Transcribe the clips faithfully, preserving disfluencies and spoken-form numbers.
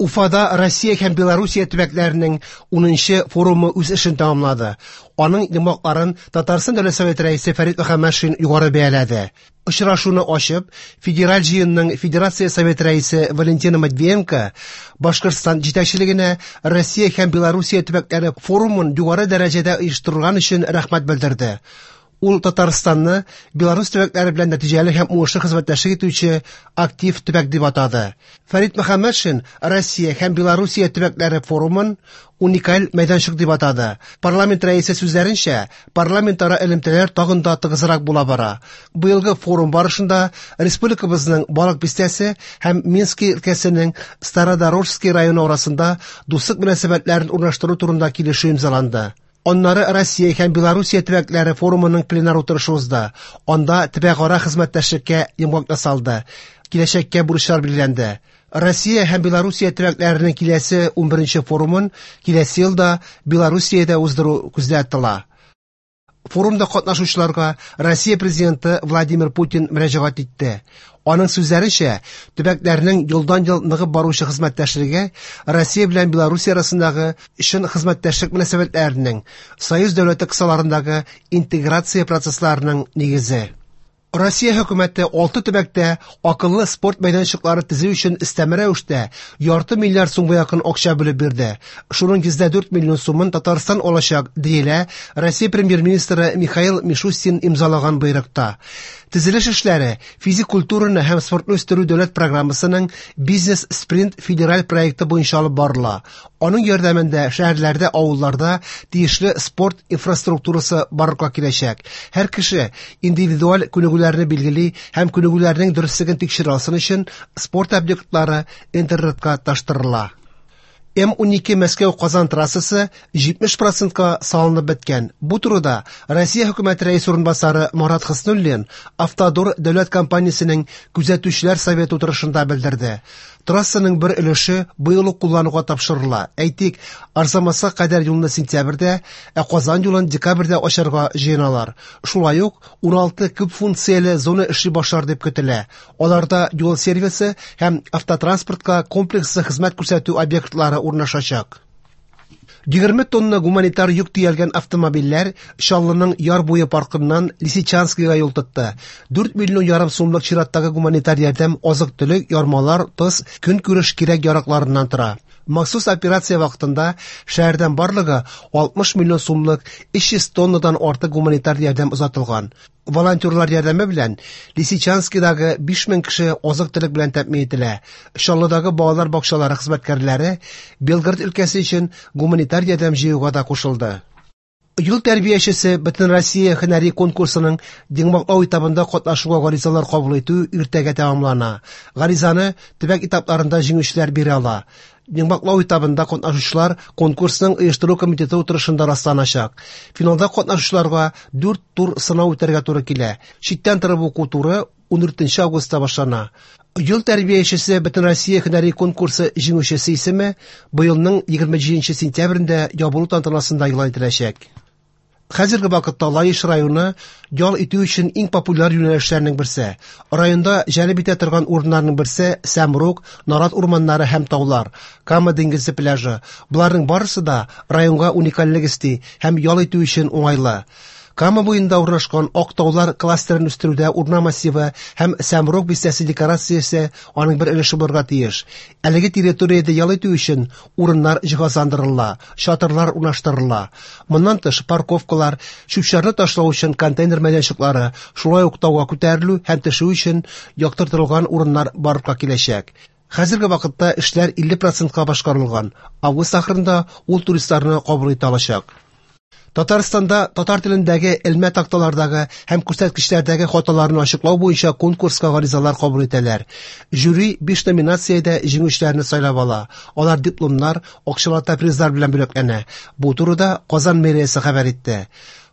Уфада Россия һәм Белоруссия төбәкләренең унынчы форумы үз эшен тәмамлады. Аның йомгакларын Татарстан Дәүләт Советы рәисе Фәрит Мөхәммәтшин югары бәяләде. Очрашуны ачып, Федераль җыенның Федерация Советы рәисе Валентина Матвиенко Башкортстан җитәкчелегенә Россия һәм Белоруссия төбәкләре форумын югары дәрәҗәдә оештырган өчен рәхмәт белдерде. Ул Татарстанны Беларусь төбәкләре белән нәтиҗәле һәм уңышлы хезмәттәшлек итүче актив төбәк дип атады. Фәрит Мөхәммәтшин Россия һәм Белоруссия төбәкләре форумын уникаль мәйданчык дип атады. Парламент рәисе сүзләренчә, парламентара элемтәләр тагын да тыгызрак була бара. Быелгы форум барышында республикабызның Балык Бистәсе һәм Минский өлкәсенең Стародорожский районы арасында дуслык мөнәсәбәтләрен урнаштыру турында килешү имзаланды. Аннары Россия һәм Белоруссия төбәкләре форумының пленар утырышы узды. Анда төбәкара хезмәттәшлеккә йомгак ясалды. Киләчәккә бурычлар билгеләнде. Россия һәм Белоруссия төбәкләренең киләсе унберенче форумын киләсе елда Белоруссиядә уздыру күздә тотыла. Форумда катнашучыларга Россия президенты Владимир Путин мөрәҗәгать итте. Аның сүзләренчә, төбәкләрнең елдан-ел ныгып баручы хезмәттәшлеге Россия белән Белоруссия арасындагы чын хезмәттәшлек мөнәсәбәтләренең, Союз дәүләте кысаларындагы интеграция процессларының нигезе. Россия хөкүмәте алты төбәктә акыллы спорт мәйданчыклары төзү өчен өстәмә рәвештә ярты миллиард сумга якын акча бүлеп бирде. Шуның йөздә дүрт миллион сумын Татарстан алачак, диелә Россия премьер-министры Михаил Мишустин имзалаган боерыкта. Төзелеш эшләре физик культураны һәм спортны үстерү дәүләт программасының Бизнес-спринт федераль проекты буенча алып барыла. Аның ярдәмендә шәһәрләрдә, авылларда тиешле спорт инфраструктурасы барлыкка киләчәк. Һәр кеше индивидуаль күнегүләрне билгели һәм күнегүләрнең дөреслеген тикшерә алсын өчен спорт объектлары интернетка таштырыла. М унике Мәскәү-Казан трассасы җитмеш процентка салынып беткән. Бу турыда Россия хөкүмәте рәисе урынбасары Марат Хөснуллин Автодор дәүләт компаниясенең күзәтүчеләр советы утырышында белдерде. Трассаның бер өлеше быел ук куллануга тапшырыла. Әйтик, Арзамасга кадәр юлны сентябрьдә, ә Казан юлын декабрьдә ачарга җыеналар. Шулай ук уналты күп функцияле зона эшли башлар дип көтелә. Аларда юл сервисы һәм автотранспортка комплекслы хезмәт күрсәтү объектлары урнашачак. Егерме тонна гуманитар йөк төялгән автомобильләр Чаллының Яр буе паркыннан Лисичанскийга юл тотты. Дүрт миллион ярым сумлык чираттагы гуманитар ярдәм азык-төлек, ярмалар, тоз, көнкүреш кирәк-яракларыннан тора. Махсус операция вакытында шәһәрдән барлыгы алтмыш миллион сумлык өч йөз тоннадан артык гуманитар ярдәм озатылган. Волонтерлар ярдәме белән Лисичанскийдагы биш мең кеше азык-төлек белән тәэмин ителә. Чаллыдагы балалар бакчалары хезмәткәрләре Белгород өлкәсе өчен гуманитар ярдәм җыюга да кушылды. Юл тәрбиячесе Бөтенроссия һөнәри конкурсының йомгаклау этабында катнашуга гаризалар кабул итү иртәгә тәмамлана. Гаризаны төбәк этапларында җиңүчеләр бирә ала. Йомгаклау этабында катнашучылар конкурсның оештыру комитеты утырышында расланачак. Финалда катнашучыларга дүрт тур сынау үтәргә туры килә. Читтән торып уку туры ундүртенче августта башлана. Юл тәрбиячесе Бөтенроссия һөнәри конкурсы җиңүчесе исеме быелның егерме җиденче сентябрендә ябылу тантанасында игълан ителәчәк. Хәзерге вакытта Лаеш районы ял итү өчен иң популяр юнәлешләрнең берсе. Районда җәлеп итә торган урыннарның берсе Сәмрук, Нарат урманнары һәм таулар, Кама диңгезе пляжы. Буларның барысы да районга уникальлек өсти һәм ял итү өчен уңайлы. Кама буенда урнашкан Ак таулар кластерын үстерүдә урман массивы һәм Сәмрук бистәсе декорациясе аның бер өлеше булырга тиеш. Әлеге территориядә ял итү өчен урыннар җиһазландырыла, чатырлар урнаштырыла. Моннан тыш парковкалар, чүп-чарны ташлау өчен контейнер мәйданчыклары, шулай ук тауга күтәрелү һәм төшү өчен яктыртылган урыннар барлыкка киләчәк. Хәзерге вакытта эшләр илле процентка башкарылган. Август ахырында ул туристларны кабул итә алачак. Татарстанда татар телендәге элмә такталардагы һәм күрсәткечләрдәге хаталарны ачыклау буенча конкурска гаризалар кабул итәләр. Жюри биш номинациядә җиңүчеләрне сайлап ала. Алар дипломнар, акчалата призлар белән бүләкләнә. Бу турыда Казан мэриясе хәбәр итте.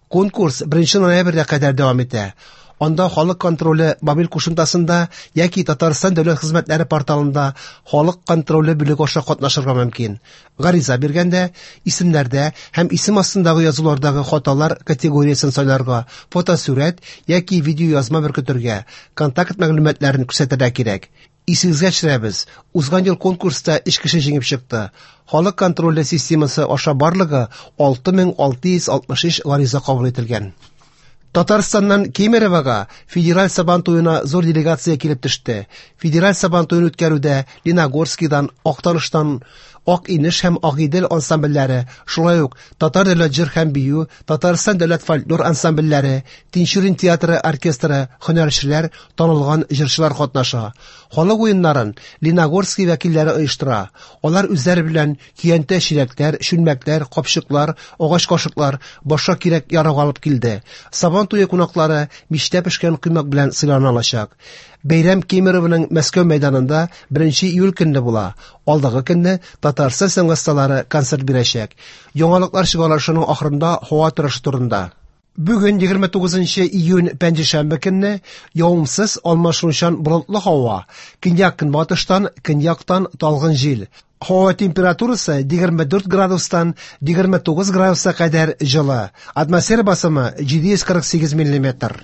Конкурс беренче ноябрьгә кадәр дәвам итә. Анда халык контроле мобиль кушымтасында яки Татарстан дәүләт хезмәтләре порталында халык контроле бүлеге аша катнашырга мөмкин. Гариза биргәндә исемнәрдә һәм исем астындагы язулардагы хаталар категориясен сайларга, фотосурәт яки видеоязма беркетергә, контакт мәгълүматларын күрсәтергә кирәк. Исегезгә төшерәбез, узган ел конкурста өч кеше җиңеп чыкты. Халык контроле системасы аша барлыгы алты мең алты йөз алтмыш өч гариза кабул ителгән. Татарстаннан Кемеровога федераль Сабан туена зур делегация килеп төште. Федераль Сабан туен үткәрүдә Леногорскидан, Актаныштан Ак Инеш һәм Агыйдел ансамбльләре, шулай ук Татар дәүләт җыр һәм бию, Татарстан дәүләт фольклор ансамбльләре, Тинчурин театры оркестры, һөнәрчеләр, танылган җырчылар катнаша. Халык уеннарын Леногорский вәкилләре оештыра. Алар үзләре белән көянтә чиләкләр, чүлмәкләр, капчыклар, агач кашыклар, башка кирәк ярак алып килде. Сабан туе кунаклары мичтә пешкән коймак белән сыйлана алачак. Бәйрәм Кемеровоның Мәскәү мәйданында беренче июль көнне була. Алдагы көнне Татарстан сәнгать осталары концерт бирәчәк. Яңалыклар чыгарылышының ахырында һава торышы турында. Бүген егерме тугызынчы июнь пәнҗешәмбе көнне явымсыз алмашынучан болытлы һава. Көньяк-көнбатыштан, көньяктан талгын җил. Һава температурасы егерме дүрт градустан егерме тугыз градуска кадәр җылы. Атмосфера басымы җиде йөз кырык сигез миллиметр.